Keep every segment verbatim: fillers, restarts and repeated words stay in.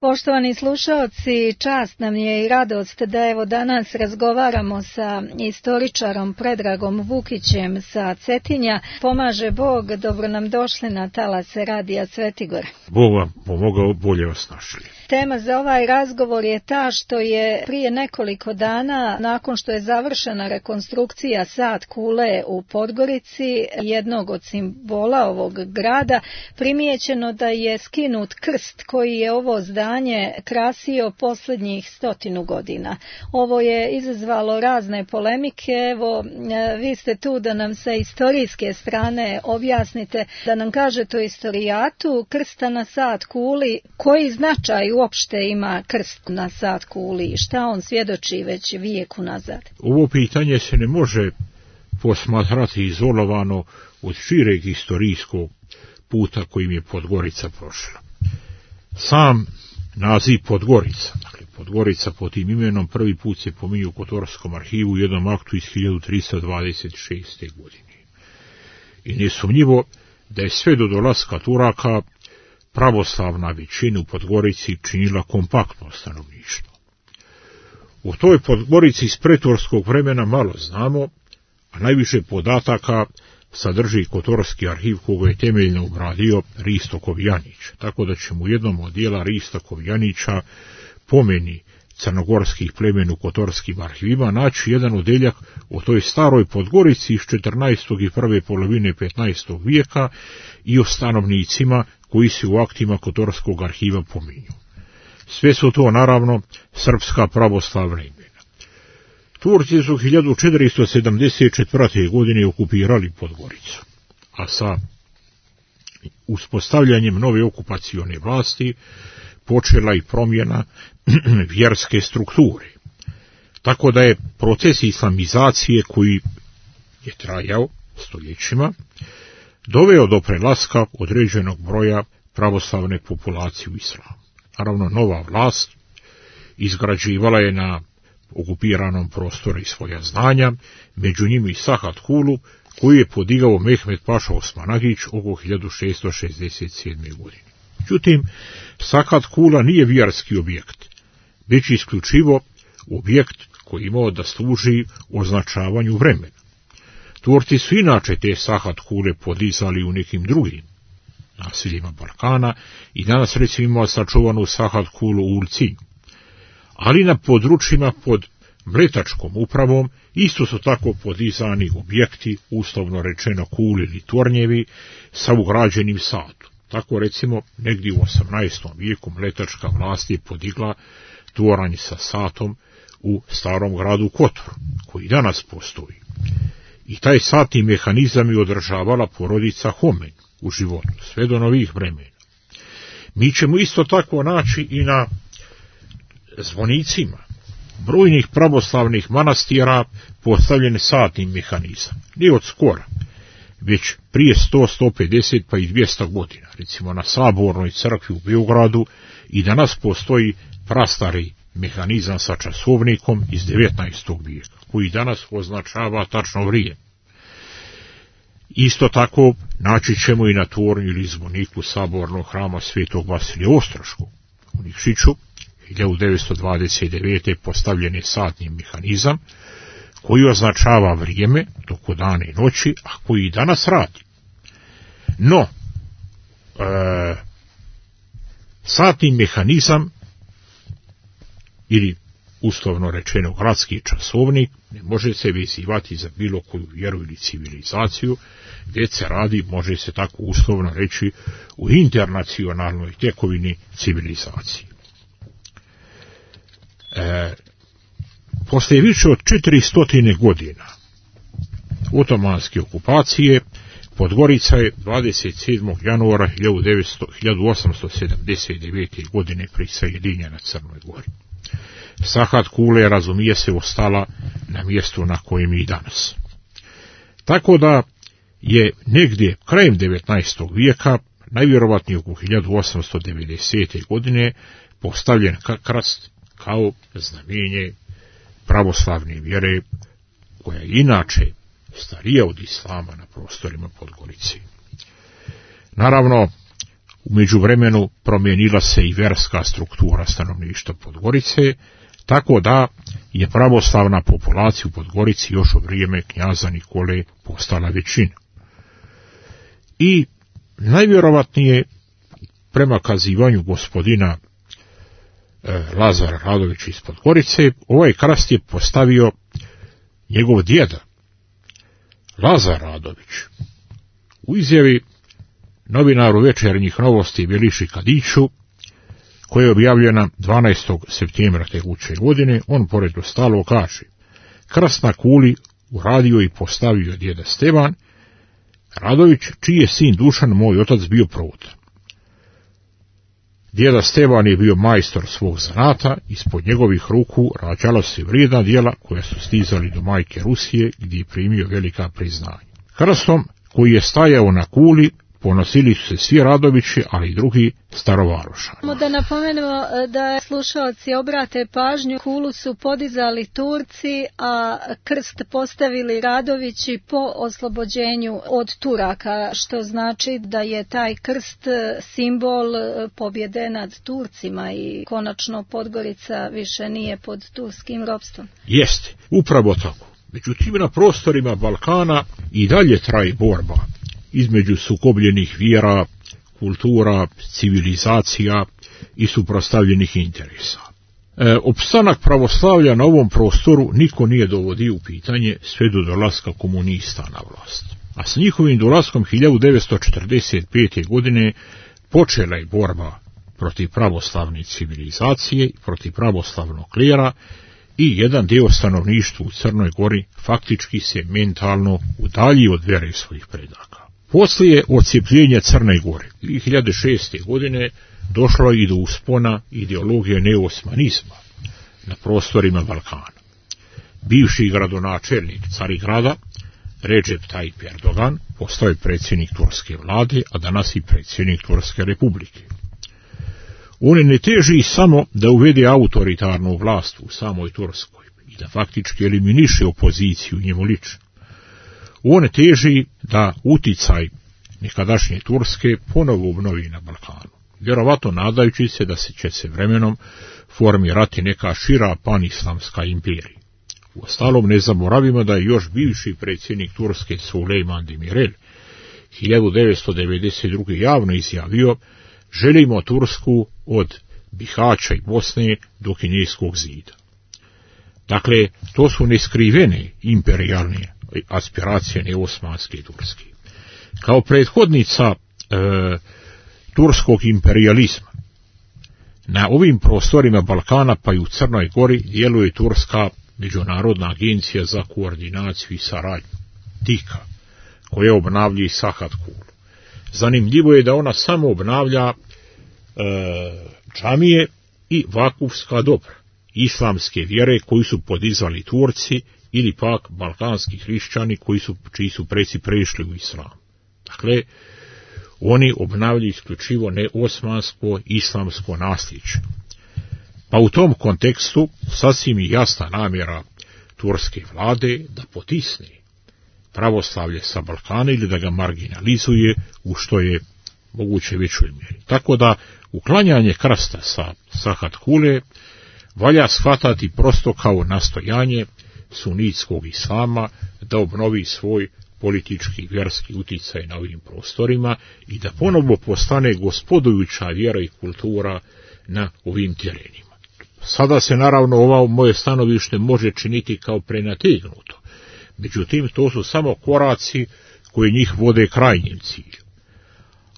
Poštovani slušaoci, čast nam je i radost da evo danas razgovaramo sa istoričarom Predragom Vukićem sa Cetinja. Pomaže Bog, dobro nam došli na talase Radija Svetigor. Bog vam pomogao, bolje vas našli. Tema za ovaj razgovor je ta što je prije nekoliko dana, nakon što je završena rekonstrukcija Sat kule u Podgorici, jednog od simbola ovog grada, primijećeno da je skinut krst koji je ovo zdanje krasio posljednjih stotinu godina. Ovo je izazvalo razne polemike. Evo, vi ste tu da nam sa istorijske strane objasnite, da nam kažete o istorijatu krsta na Sat kuli, koji značaj uopšte ima krst na Sat kuli i šta on svjedoči već vijeku nazad. Ovo pitanje se ne može posmatrati izolovano od šireg istorijskog puta kojim je Podgorica prošla. Sam naziv Podgorica, dakle Podgorica pod tim imenom, prvi put se pominje u Kotorskom arhivu u jednom aktu iz hiljadu tristo dvadeset šeste. godine. I nesumnjivo da je sve do dolaska Turaka pravoslavna većina u Podgorici činila kompaktno stanovništvo. U toj Podgorici iz pretorskog vremena malo znamo, a najviše podataka sadrži Kotorski arhiv koga je temeljno obradio Risto Kovjanić, tako da ćemo u jednom od dijela Rista Kovjanića pomeni crnogorskih plemena u Kotorskim arhivima naći jedan odeljak o toj staroj Podgorici iz četrnaestog i prve polovine petnaestog vijeka i o stanovnicima koji se u aktima Kotorskog arhiva pominju. Sve su to naravno srpska pravoslavna imena. Turci su hiljadu četiristo sedamdeset četvrte. godine okupirali Podgoricu, a sa uspostavljanjem nove okupacione vlasti počela i promjena vjerske strukture. Tako da je proces islamizacije koji je trajao stoljećima doveo do prelaska određenog broja pravoslavne populacije u islamu. Naravno, nova vlast izgrađivala je na okupiranom prostoru i svoja znanja, među njima i Sahat kulu, koju je podigao Mehmed Paša Osmanagić oko hiljadu šesto šezdeset sedme. godine. Međutim, Sahat kula nije vjerski objekt, već isključivo objekt koji imao da služi označavanju vremena. Turci su inače te Sahat kule podizali u nekim drugim naseljima Balkana i danas recimo imamo sačuvanu Sahat kulu u Ulcinju. Ali na područjima pod mletačkom upravom isto su tako podizani objekti, uslovno rečeno kuli ili tornjevi, sa ugrađenim satom. Tako recimo negdje u osamnaestom vijeku mletačka vlast je podigla toranj sa satom u starom gradu Kotoru, koji danas postoji. I taj satni mehanizam je održavala porodica Homen u životu, sve do novih vremena. Mi ćemo isto tako naći i na zvonicima brojnih pravoslavnih manastira postavljen satni mehanizam. Nije od skora, već prije sto, sto pedeset pa i dvjesto godina. Recimo na Sabornoj crkvi u Beogradu i danas postoji prastari mehanizam sa časovnikom iz devetnaestog vijeka, koji danas označava tačno vrijeme. Isto tako naći ćemo i na tornju ili zvoniku Sabornog hrama Svetog Vasilija Ostroškog u Nikšiću, hiljadu devetsto dvadeset devete. postavljen je satni mehanizam koji označava vrijeme toko dana i noći, a koji i danas radi. No, e, satni mehanizam ili uslovno rečeno gradski časovnik ne može se vezivati za bilo koju vjeru ili civilizaciju, već se radi, može se tako uslovno reći, u internacionalnoj tekovini civilizacije. E, poslije više od četiristo godina otomanske okupacije, Podgorica je dvadeset sedmog januara hiljadu osamsto sedamdeset devete. godine prisajedinjena Crnoj Gori. Sahat kule, razumije se, ostala na mjestu na kojem i danas. Tako da je negdje krajem devetnaestog vijeka, najvjerovatnije oko hiljadu osamsto devedesete. godine, postavljen krst kao znamenje pravoslavne vjere, koja je inače starija od islama na prostorima Podgorice. Naravno, U međuvremenu promijenila se i vjerska struktura stanovništva Podgorice, tako da je pravoslavna populacija u Podgorici još u vrijeme knjaza Nikole postala većina. I najvjerovatnije, prema kazivanju gospodina e, Lazara Radovića iz Podgorice, ovaj krast je postavio njegov djeda, Lazar Radović. U izjavi novinaru Večernjih novosti Beliši Kadiću, koja je objavljena dvanaestog septembra tekuće godine, on pored ostalog kaže: krst na kuli uradio i postavio djeda Stevan Radović, čiji je sin Dušan, moj otac, bio provodan. Djeda Stevan je bio majstor svog zanata, ispod njegovih ruku rađala se vrijedna djela koja su stizali do majke Rusije, gdje je primio velika priznanja. Krstom koji je stajao na kuli ponosili su se svi Radovići, ali i drugi starovarošani. Da napomenemo da slušalci obrate pažnju, kulu su podizali Turci, a krst postavili Radovići po oslobođenju od Turaka, što znači da je taj krst simbol pobjede nad Turcima i konačno Podgorica više nije pod turskim ropstvom. Jeste, upravo tako. Međutim, na prostorima Balkana i dalje traje borba između sukobljenih vjera, kultura, civilizacija i suprotstavljenih interesa. E, opstanak pravoslavlja na ovom prostoru niko nije dovodio u pitanje sve do dolaska komunista na vlast. A s njihovim dolaskom hiljadu devetsto četrdeset pete. godine počela je borba protiv pravoslavne civilizacije i protiv pravoslavnog klera, i jedan dio stanovništva u Crnoj Gori faktički se mentalno udalji od vjere svojih predaka. Poslije odcijepljenja Crne Gore dvije hiljade šeste. godine došlo je i do uspona ideologije neosmanizma na prostorima Balkana. Bivši gradonačelnik Carigrada, Recep Tayyip Erdogan, postao je predsjednik turske vlade, a danas i predsjednik Turske republike. On ne teži samo da uvede autoritarnu vlast u samoj Turskoj i da faktički eliminiše opoziciju njemu lično. On teži da uticaj nekadašnje Turske ponovo obnovi na Balkanu, vjerovatno nadajući se da se će se vremenom formirati neka šira panislamska imperija. Uostalom, ne zaboravimo da je još bivši predsjednik Turske Sulejman Demirel hiljadu devetsto devedeset druge. javno izjavio: želimo Tursku od Bihaća i Bosne do Kineskog zida. Dakle, to su neskrivene imperijalne aspiracije neosmanske Turske. Kao prethodnica e, turskog imperializma na ovim prostorima Balkana, pa i u Crnoj Gori, djeluje Turska međunarodna agencija za koordinaciju i saradnju, TIKA, koja obnavlja i Sahat Kulu. Zanimljivo je da ona samo obnavlja e, džamije i vakufska dobra islamske vjere koju su podizali Turci ili pak balkanski hrišćani koji su, čiji su preci prešli u islam. Dakle, oni obnavljaju isključivo neosmansko islamsko nasljeđe. Pa u tom kontekstu sasvim je jasna namjera turske vlade da potisne pravoslavlje sa Balkana ili da ga marginalizuje u što je moguće većoj mjeri. Tako da uklanjanje krsta sa Sahat Kule valja shvatati prosto kao nastojanje sunitskog islama da obnovi svoj politički i vjerski uticaj na ovim prostorima i da ponovo postane gospodujuća vjera i kultura na ovim terenima. Sada se naravno ovo moje stanovište može činiti kao prenategnuto, međutim to su samo koraci koji njih vode krajnjem cilju.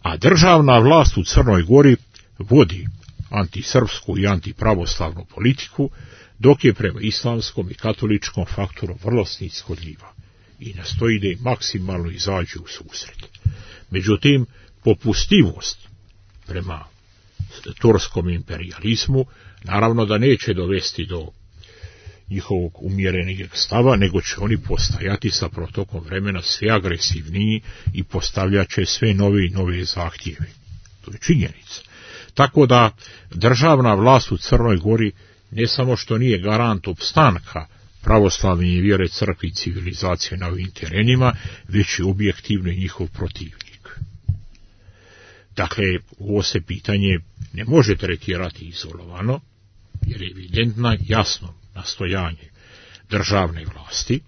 A državna vlast u Crnoj Gori vodi antisrpsku i antipravoslavnu politiku, dok je prema islamskom i katoličkom faktoru vrlo snishodljiva i nastoji da im maksimalno izađe u susret. Međutim, popustljivost prema turskom imperializmu naravno da neće dovesti do njihovog umjerenijeg stava, nego će oni postajati sa protokom vremena sve agresivniji i postavljat će sve nove i nove zahtjeve. To je činjenica. Tako da državna vlast u Crnoj Gori ne samo što nije garant opstanka pravoslavne vjere, crkve i civilizacije na ovim terenima, već je objektivno njihov protivnik. Dakle, ovo se pitanje ne može tretirati izolovano, jer je evidentno jasno nastojanje državne vlasti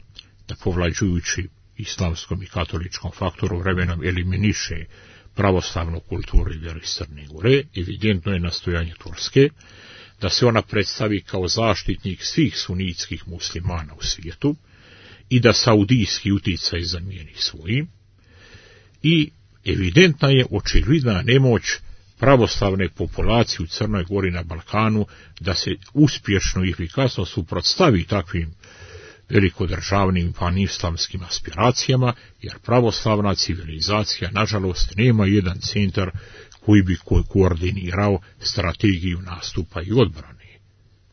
da povlađujući islamskom i katoličkom faktoru vremenom eliminiše pravoslavnu kulturu i vjeru iz Crne Gore. Evidentno je nastojanje Turske da se ona predstavi kao zaštitnik svih sunitskih muslimana u svijetu i da saudijski utjecaj zamijeni svojim. I evidentna je očigledna nemoć pravoslavne populacije u Crnoj Gori na Balkanu da se uspješno i efikasno suprotstavi takvim velikodržavnim panislamskim aspiracijama, jer pravoslavna civilizacija, nažalost, nema jedan centar koji bi ko- koordinirao strategiju nastupa i odbrane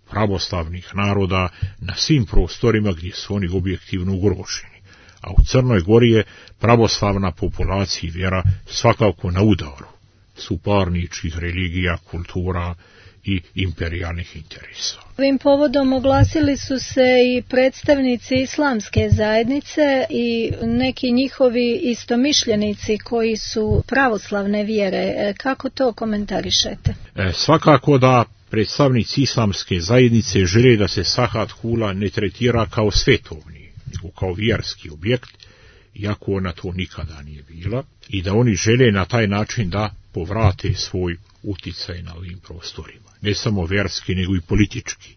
pravoslavnih naroda na svim prostorima gdje su oni objektivno ugroženi. A u Crnoj Gori je pravoslavna populacija i vjera svakako na udaru suparničkih religija, kultura i imperijalnih interesa. Ovim povodom oglasili su se i predstavnici islamske zajednice i neki njihovi istomišljenici koji su pravoslavne vjere. Kako to komentarišete? E, svakako da predstavnici islamske zajednice žele da se Sahat Kula ne tretira kao svetovni, nego kao vjerski objekt, iako ona to nikada nije bila, i da oni žele na taj način da povrate svoj uticaj na ovim prostorima, ne samo vjerski, nego i politički.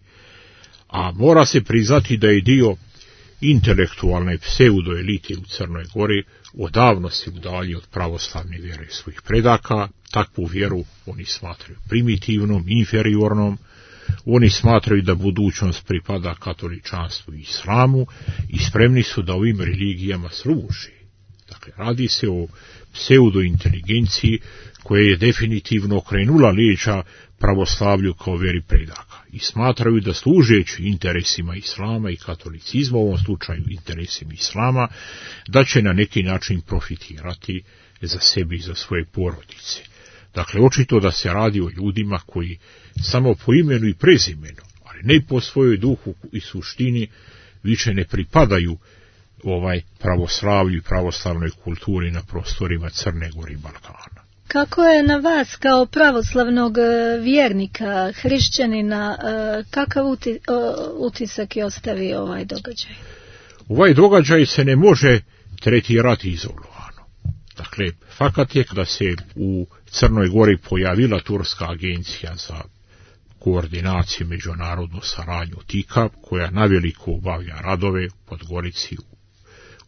A mora se priznati da je dio intelektualne pseudoelite u Crnoj Gori odavno se udalji od pravoslavne vjere svojih predaka. Takvu vjeru oni smatraju primitivnom, inferiornom, oni smatraju da budućnost pripada katoličanstvu i islamu i spremni su da ovim religijama služe. Dakle, radi se o pseudointeligenciji koja je definitivno okrenula leđa pravoslavlju kao vjeri predaka i smatraju da služeći interesima islama i katolicizma, u ovom slučaju interesima islama, da će na neki način profitirati za sebi i za svoje porodice. Dakle, očito da se radi o ljudima koji samo po imenu i prezimenu, ali ne po svojoj duhu i suštini, više ne pripadaju ovaj pravoslavlju i pravoslavnoj kulturi na prostorima Crne Gore i Balkana. Kako je na vas kao pravoslavnog vjernika, hrišćanina, kakav utisak je ostavio ovaj događaj? Ovaj događaj se ne može tretirati izolovano. Dakle, fakat je da se u Crnoj Gori pojavila turska agencija za koordinaciju međunarodnu saradnju TIKA, koja naveliko obavlja radove u Podgorici, u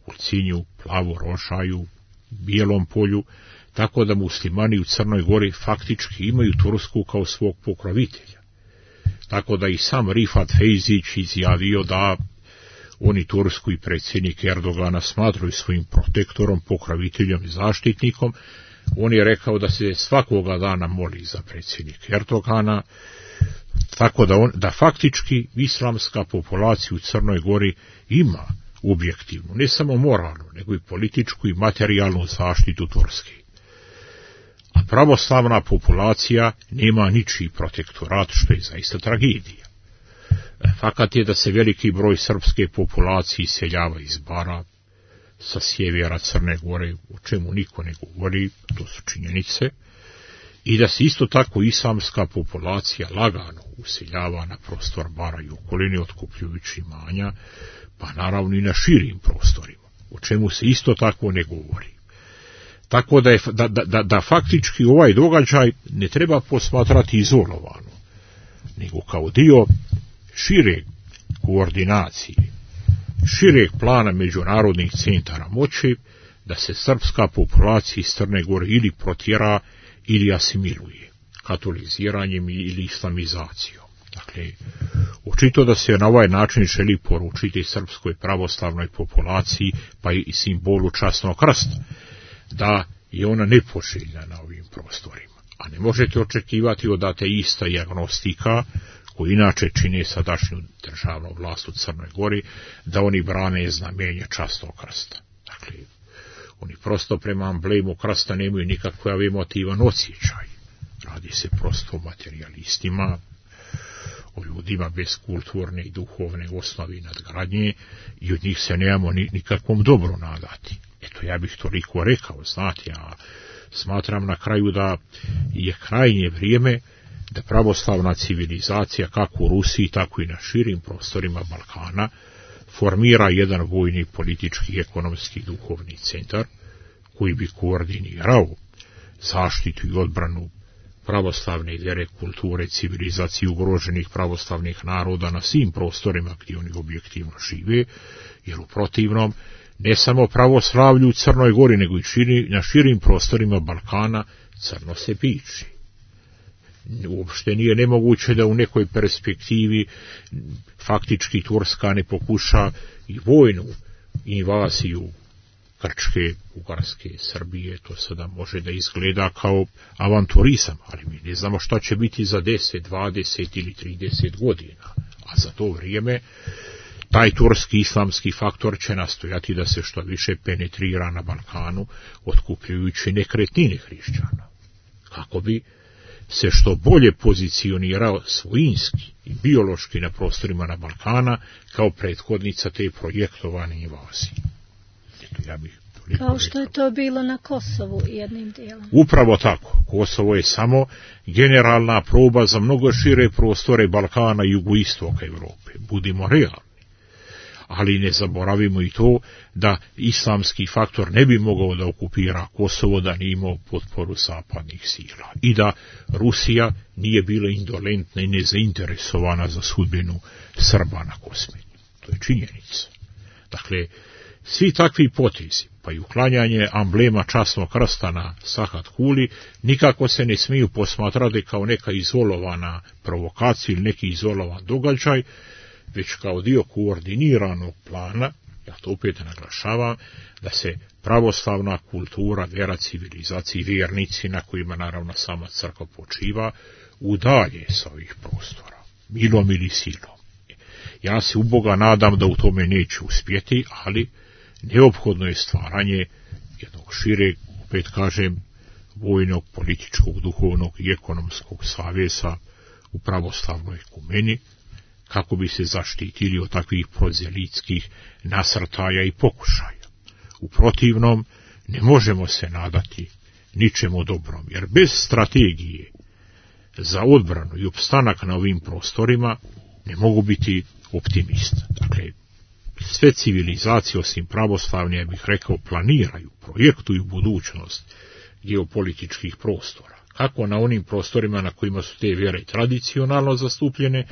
Ulcinju, Plavo-Rošaju, Bijelom polju, tako da muslimani u Crnoj Gori faktički imaju Tursku kao svog pokrovitelja. Tako da i sam Rifat Fejzić izjavio da oni Tursku i predsjednik Erdogana smatraju svojim protektorom, pokroviteljom i zaštitnikom. On je rekao da se svakoga dana moli za predsjednik Erdogana, tako da, on, da faktički islamska populacija u Crnoj Gori ima objektivnu, ne samo moralnu, nego i političku i materijalnu zaštitu Turske. A pravoslavna populacija nema ničiji protektorat, što je zaista tragedija. Fakat je da se veliki broj srpske populacije iseljava iz Bara, sa sjevera Crne Gore, o čemu niko ne govori, to su činjenice, i da se isto tako islamska populacija lagano useljava na prostor Bara i okoline, otkupljujući imanja, pa naravno i na širim prostorima, o čemu se isto tako ne govori. Tako da, je, da, da, da faktički ovaj događaj ne treba posmatrati izolovano, nego kao dio šire koordinacije, šireg plana međunarodnih centara moći, da se srpska populacija iz Crne Gore ili protjera ili asimiluje, katoliziranjem ili islamizacijom. Dakle, očito da se na ovaj način želi poručiti srpskoj pravoslavnoj populaciji, pa i simbolu časnog krsta, da je ona nepoželjna na ovim prostorima. A ne možete očekivati od ateista i agnostika, koji inače čine sadašnju državnu vlast u Crnoj Gori, da oni brane znamenje časnog krsta. Dakle, oni prosto prema amblemu krsta nemaju nikakav emotivan osjećaj. Radi se prosto o materialistima, o ljudima bez kulturne i duhovne osnovi nadgradnje i od njih se nemamo ni, nikakvom dobru nadati. Eto, ja bih toliko rekao, znate, a Smatram na kraju da je krajnje vrijeme da pravoslavna civilizacija kako u Rusiji, tako i na širim prostorima Balkana formira jedan vojni, politički, ekonomski, duhovni centar koji bi koordinirao zaštitu i odbranu pravoslavne vjere, kulture, civilizacije ugroženih pravoslavnih naroda na svim prostorima gdje oni objektivno žive, jer u protivnom ne samo pravoslavlju u Crnoj Gori, nego i širi, na širim prostorima Balkana crno se piči. Uopšte nije nemoguće da u nekoj perspektivi faktički Turska ne pokuša i vojnu invaziju Grčke, Bugarske, Srbije. To sada može da izgleda kao avanturizam, ali mi ne znamo šta će biti za deset, dvadeset ili trideset godina. A za to vrijeme taj turski islamski faktor će nastojati da se što više penetrira na Balkanu, otkupljujući nekretnine hrišćana, kako bi se što bolje pozicionirao svojinski i biološki na prostorima na Balkana kao prethodnica te projektovane invazije. Eto, ja bih kao što je to bilo na Kosovu jednim dijelom. Upravo tako. Kosovo je samo generalna proba za mnogo šire prostore Balkana i jugoistoka Europe. Budimo realni. Ali ne zaboravimo i to da islamski faktor ne bi mogao da okupira Kosovo da nije imao potporu zapadnih sila i da Rusija nije bila indolentna i nezainteresovana za sudbinu Srba na Kosmeti. To je činjenica. Dakle, svi takvi potezi, pa i uklanjanje amblema časnog krsta na Sahat Kuli, nikako se ne smiju posmatrati kao neka izolovana provokacija ili neki izolovan događaj, već kao dio koordiniranog plana, ja to opet naglašavam, da se pravoslavna kultura, vjera, civilizacija i vjernici, na kojima naravno sama crkva počiva, udalje sa ovih prostora, milom ili silom. Ja se u Boga nadam da u tome neće uspjeti, ali neophodno je stvaranje jednog šireg, opet kažem, vojnog, političkog, duhovnog i ekonomskog saveza u pravoslavnoj ekumeni, kako bi se zaštitili od takvih prozelitskih nasrtaja i pokušaja. U protivnom, ne možemo se nadati ničemu dobrom, jer bez strategije za odbranu i opstanak na ovim prostorima ne mogu biti optimista. Dakle, sve civilizacije osim pravoslavne, ja bih rekao, planiraju, projektuju budućnost geopolitičkih prostora, kako na onim prostorima na kojima su te vjere tradicionalno zastupljene,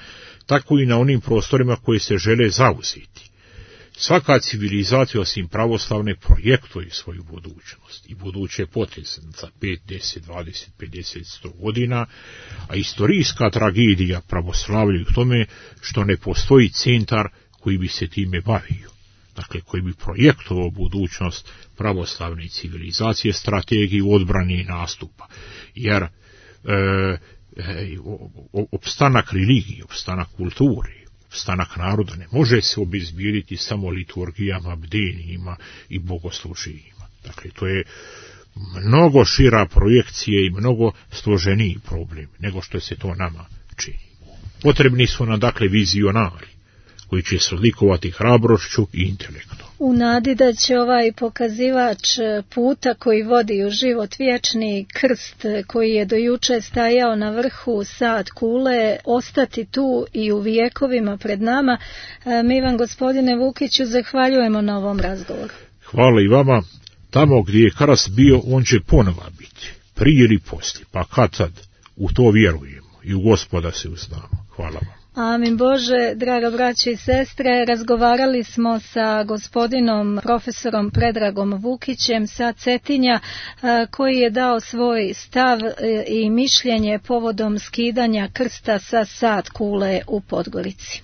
tako i na onim prostorima koje se žele zauzeti. Svaka civilizacija osim pravoslavne projektuje svoju budućnost i buduće poteze za pet, deset, dvadeset, pedeset, sto godina, a istorijska tragedija pravoslavlja u tome što ne postoji centar koji bi se time bavio, dakle koji bi projektovao budućnost pravoslavne civilizacije, strategiju odbrane i nastupa, jer e, e, opstanak religije, opstanak kulture, opstanak naroda ne može se obezbijediti samo liturgijama, bdenijima i bogosluženjima. Dakle, to je mnogo šira projekcija i mnogo složeniji problem nego što se to nama čini. Potrebni su nam dakle vizionari koji će se odlikovati hrabrošću i intelektom. U nadi da će ovaj pokazivač puta koji vodi u život vječni, krst koji je do juče stajao na vrhu Sahat Kule, ostati tu i u vijekovima pred nama, mi vam, gospodine Vukiću, zahvaljujemo na ovom razgovoru. Hvala i vama. Tamo gdje je krst bio, on će ponova biti, prije ili poslije, pa kad tad, u to vjerujemo i u Gospoda se uznamo. Hvala vam. Amin Bože, draga braćo i sestre, razgovarali smo sa gospodinom profesorom Predragom Vukićem sa Cetinja, koji je dao svoj stav i mišljenje povodom skidanja krsta sa Sahat Kule u Podgorici.